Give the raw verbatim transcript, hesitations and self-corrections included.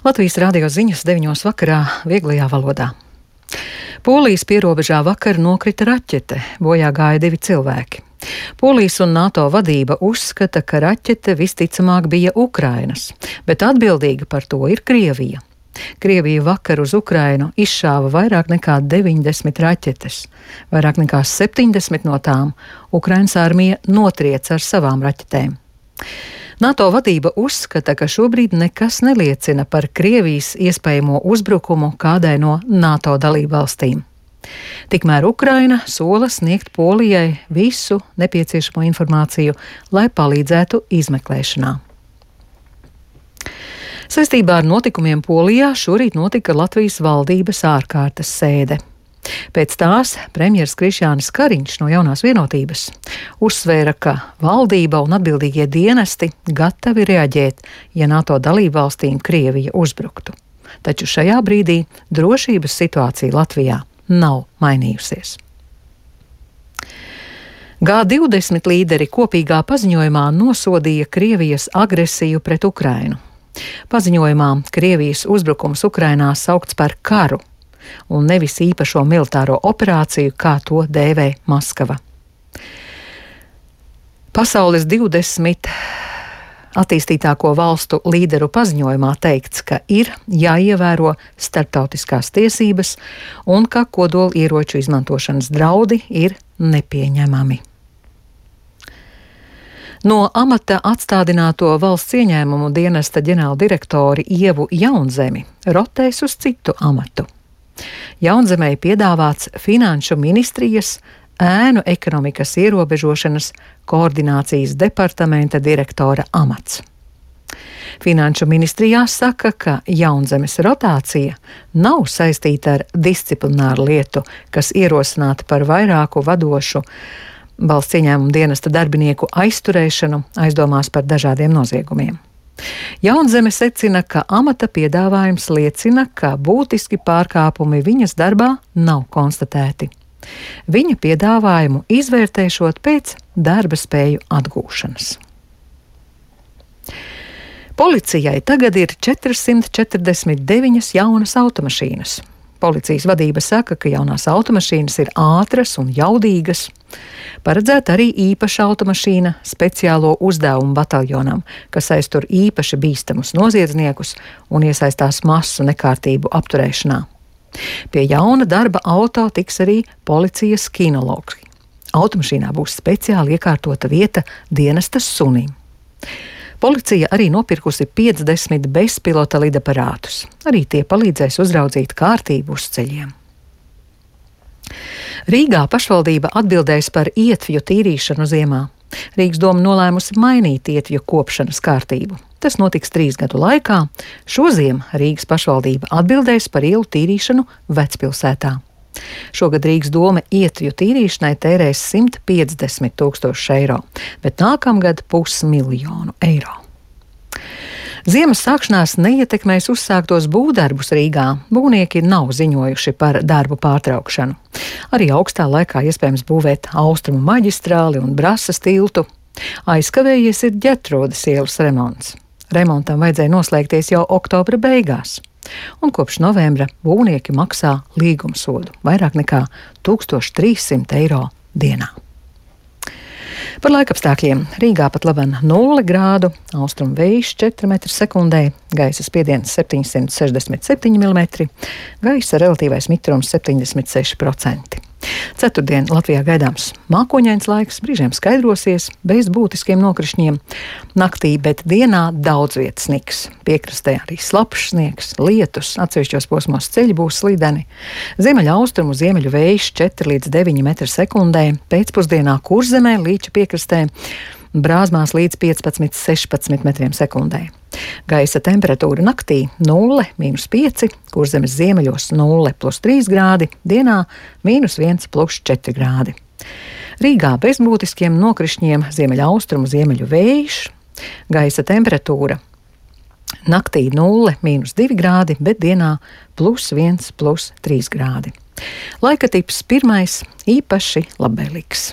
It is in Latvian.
Latvijas radio ziņas deviņos vakarā vieglajā valodā. Polijas pierobežā vakar nokrita raķete, bojā gāja divi cilvēki. Polijas un NATO vadība uzskata, ka raķete visticamāk bija Ukrainas, bet atbildīga par to ir Krievija. Krievija vakar uz Ukrainu izšāva vairāk nekā deviņdesmit raķetes. Vairāk nekā septiņdesmit no tām Ukrainas armija notriec ar savām raķetēm. NATO vadība uzskata, ka šobrīd nekas neliecina par Krievijas iespējamo uzbrukumu kādai no NATO dalībvalstīm. Tikmēr Ukraina sola sniegt Polijai visu nepieciešamo informāciju, lai palīdzētu izmeklēšanā. Saistībā ar notikumiem Polijā šorīt notika Latvijas valdības ārkārtas sēde. Pēc tās premjers Krišjānis Kariņš no Jaunās Vienotības uzsvēra, ka valdība un atbildīgie dienesti gatavi reaģēt, ja NATO dalībvalstīm Krievija uzbruktu. Taču šajā brīdī drošības situācija Latvijā nav mainījusies. G divdesmit līderi kopīgā paziņojumā nosodīja Krievijas agresiju pret Ukrainu. Paziņojumā Krievijas uzbrukums Ukrainā saukts par karu un nevis īpašo militāro operāciju, kā to dēvē Maskava. Pasaules divdesmit attīstītāko valstu līderu paziņojumā teikts, ka ir jāievēro starptautiskās tiesības un ka kodola ieroču izmantošanas draudi ir nepieņemami. No amata atstādināto valsts ieņēmumu dienesta ģenerāldirektori Ievu Jaunzemi rotēs uz citu amatu. Jaunzemei piedāvāts Finanšu ministrijas ēnu ekonomikas ierobežošanas koordinācijas departamenta direktora amats. Finanšu ministrijā saka, ka Jaunzemes rotācija nav saistīta ar disciplināru lietu, kas ierosināta par vairāku vadošu valsts ieņēmuma dienesta darbinieku aizturēšanu aizdomās par dažādiem noziegumiem. Jaunzeme secina, ka amata piedāvājums liecina, ka būtiski pārkāpumi viņas darbā nav konstatēti. Viņa piedāvājumu izvērtēšot pēc darba spēju atgūšanas. Policijai tagad ir četrsimt četrdesmit deviņas jaunas automašīnas. Policijas vadība saka, ka jaunās automašīnas ir ātras un jaudīgas. Paredzēta arī īpaša automašīna speciālo uzdevumu bataljonam, kas aiztur īpaši bīstamus noziedzniekus un iesaistās masu nekārtību apturēšanā. Pie jauna darba auto tiks arī policijas kinologi. Automašīnā būs speciāli iekārtota vieta dienesta sunim. Policija arī nopirkusi piecdesmit bezpilota lidaparātus. Arī tie palīdzēs uzraudzīt kārtību uz ceļiem. Rīgā pašvaldība atbildēs par ietvju tīrīšanu ziemā. Rīgas doma nolēmusi mainīt ietvju kopšanas kārtību. Tas notiks trīs gadu laikā. Šoziem Rīgas pašvaldība atbildēs par ielu tīrīšanu Vecpilsētā. Šogad Rīgas doma ietvju tīrīšanai tērēs simt piecdesmit tūkstoši eiro, bet nākamgad pusmiljonu eiro. Ziemas sākšanās neietekmēs uzsāktos būvdarbus Rīgā. Būvnieki nav ziņojuši par darbu pārtraukšanu. Arī augstā laikā iespējams būvēt Austrumu maģistrāli un Brasas tiltu. Aizkavējies ir Ģertrūdes ielas remonts. Remontam vajadzēja noslēgties jau oktobra beigās. Un kopš novembra būvnieki maksā līgumsodu vairāk nekā tūkstoš trīssimt eiro dienā. Par laikapstākļiem. Rīgā pat laban nulle grādu, austrumu vējš četri metri sekundē, gaisa spiediens septiņsimt sešdesmit septiņi milimetri, gaisa relatīvais mitrums septiņdesmit seši procenti. Ceturtdien Latvijā gaidāms mākoņains laiks, brīžiem skaidrosies, bez būtiskiem nokrišņiem. Naktī, bet dienā daudz vietas sniks. Piekrastē arī slapjš sniegs, lietus, atsevišķos posmos ceļi būs slideni. Ziemeļa austrumu ziemeļu vējš četri līdz deviņi metri sekundē, pēcpusdienā Kurzemē, Līča piekrastē, Brāzmās līdz piecpadsmit sešpadsmit metriem sekundē. Gaisa temperatūra naktī nulle mīnus pieci, Kurzemes ziemeļos nulle plus trīs grādi, dienā mīnus viens plus četri grādi. Rīgā bez būtiskiem nokrišņiem, ziemeļa austrumu ziemeļu vējš, gaisa temperatūra naktī nulle mīnus divi grādi, bet dienā plus viens plus trīs grādi. Laika tips pirmais īpaši labvēlīgs.